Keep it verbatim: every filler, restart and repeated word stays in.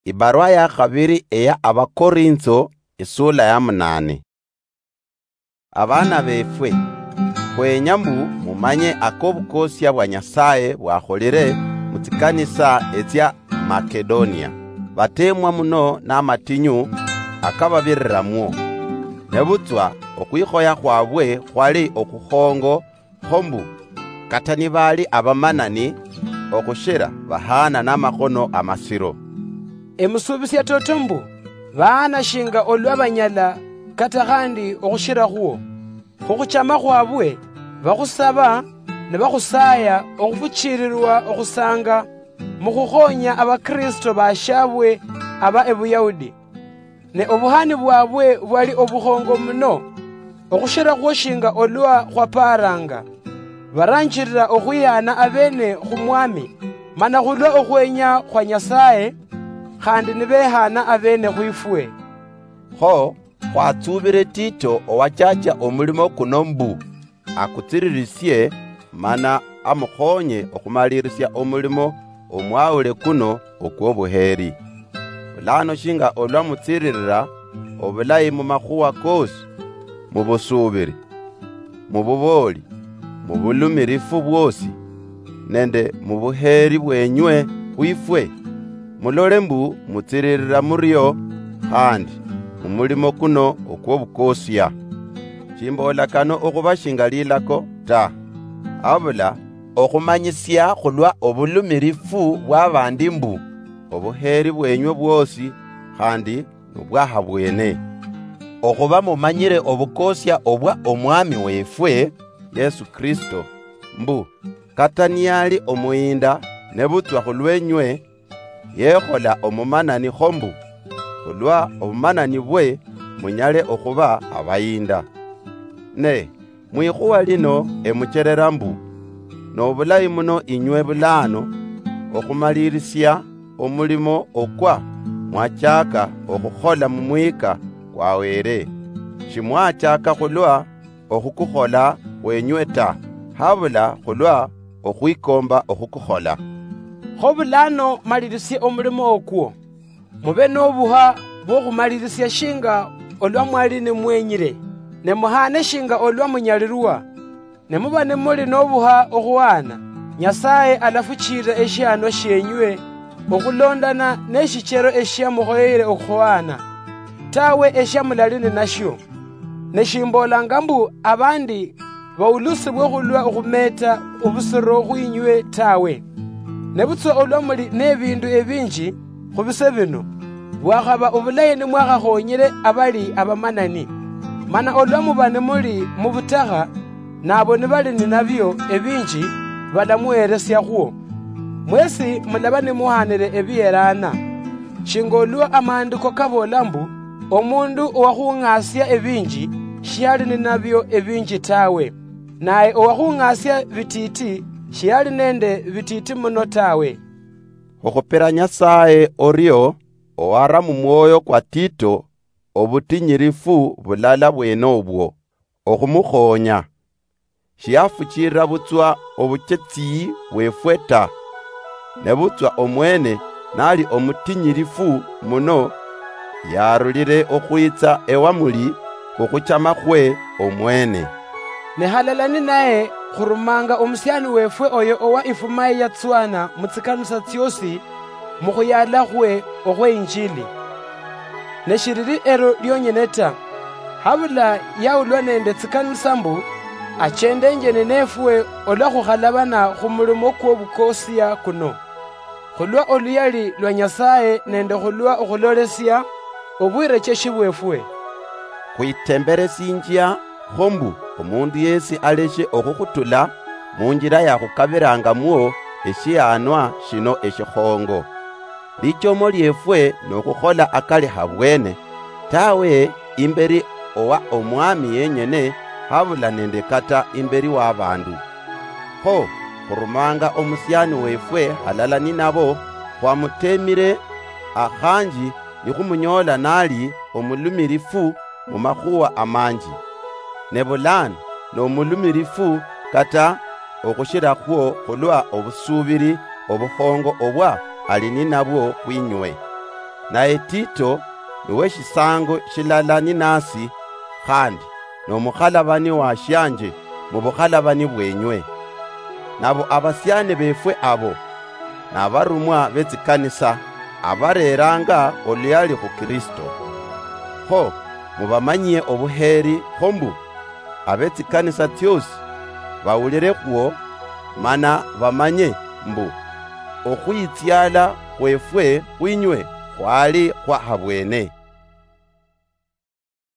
Ibarwa ya khabiri eya Abakorintho, isula ya munane. Abana befwe, khwenya mbu mumanye akobukosia bwa Nyasaye bwakholire mu tsikanisa etsia Makedonia, batemwa muno namatinyu akababiriramwo. Nebutswa okhwikhoya khwabwe khwali okhukhongo, kho mbu, kata nibaali abamanani okhushira, bahaana namakhono amasiro. Emusuubisia toto mbu, bahaana shinga olwa banyala kata khandi okhushira khuo. Khukhuchama khwabwe, bakhusaba ne bakhusaya okhufuchiirirwa okhusanga mukhukhonya Abakristo bashabwe aba Ebuyahudi. Ne obuhani bwabwe bwali obukhongo muno, okhushira khwo shinga olwa khwapaaranga. Baranjirira okhwihaana abeene khu Mwami, mana khulwa okhwenya khwa Nyasaye, khandi nibehaana abeene khwifwe. Kho khwatsuubire Tito owachacha omulimo kuno mbu akutsiririsie, mana amukhonye okhumalirisia omulimo omwawule kuno okw'obuheeri. Bulano shinga olwa mutsiririra obulayi mu makhuwa koosi, mu busuubiri, mu bubooli, mu bulumirifu bwoosi, nende mu buheeri bwenywe khwifwe, mulole mbu mutsiririra murio khandi mu mulimo kuno okw'obukosia. Shimboola kano okhuba shinga lilako ta, habula okhumanyisia khulwa obulumirifu bw'abandi mbu obuheeri bwenywe bwoosi khandi nobwaha bwene. Okhuba mumanyire obukosia obwa Omwami wefwe Yesu Kristo, mbu kata niyali omuhinda nebutswa khulwenywe, yekhola omumanani kho mbu, khulwa obumanani bwe munyale okhuba abahinda. Ne mwikhuwa lino emucherera mbu, nobulayi muno inywe bulano okhumalirisia omulimo okwa mwachaka okhukhola mumwika kwa Wele. Shimwachaka khulwa okhukukhola khwenywe ta, habula khulwa okhwikomba okhukukhola. Kho bulano malirisie omulimo okwo, mube nobuha bwokhumalirisia shinga olwa mwali nimwenyire, ne muhaane shinga olwa munyalirwa. Ne muba nimuli nobuha okhuhaana, Nyasaye alafuchiirira eshihanwa shienywe okhulondana neshichero eshiamukhoyere okhuhaana, tawe eshiamulali ninashio. Ne shimboolanga mbu abandi baulusibwe khulwa okhumeeta obusiro khwinywe tawe. Nebutswa olwa muli nebindu ebinji khubise bino, bwakhaba obulayi nimwakhakhonyere abali abamanani. Mana olwa muba nimuli mubutakha, nabo nibali ninabio ebinji, balamuheresiakhwo. Mwesi mulaba nimuhanire ebiyerana. Shinga olwa amaandiko kaboola mbu, omundu owakhung'asia ebinji, shiali ninabio ebinji tawe, naye owakhung'asia bititi, shiali nende bititi muno tawe. Okhupira Nyasaye orio, owara mumwoyo kwa Tito obutinyirifu bulala bwene obwo, okhumukhonya. Shiyafuchirira butswa obuchetsi bwefwe ta, nebutswa omwene nali omutinyirifu muno, yarulire okhwitsa ewamuli khukhuchama khwe omwene. Ne halala ninaye khurumanga omusiani wefwe oyo owa ifuma eyatswana mutsikanisa tsiosi, mukhuyala khwe okhwe Injili. Ne shiriri ero lionyene ta, habula yaulwa nende tsikanisa mbu achendenje ninefwe olwa khukhalabana khumulimo kwobukosia kuno, khulwa oluyali lwa Nyasaye nende khulwa okhulolesia obwirecheshi bwefwe. Khwitemberesinjia kho mbu omundu yesi aleshe okhukhutula munjira yakhukabirangamwo eshihanwa shino eshikhongo. Lichomo liefwe nokhukhola akali habwene, tawe imberi owa Omwami yenyene, habula nende kata imberi wabandu. Kho khurumanga omusiani wefwe halala ninabo, khwamutemire, akhanji nikhumunyoola nali omulumirifu mumakhuwa amanji, ne bulano nomulumirifu kata okhushirakhwo khulwa obusuubiri obukhongo obwa ali ninabwo khwinywe. Naye Tito niwe shisango shilala ninasi, khandi nomukhalabani wa shianje mubukhalabani bwenywe. Nabo abasiani befwe abo nabarumwa betsikanisa abareranga oluyali khu Kristo. Kho mubamanyie obuheri, kho mbu abetsikanisa tsiosi bawulire khwo, mana bamanye mbu okhwitsiala khwefwe khwinywe khwali khwa habwene.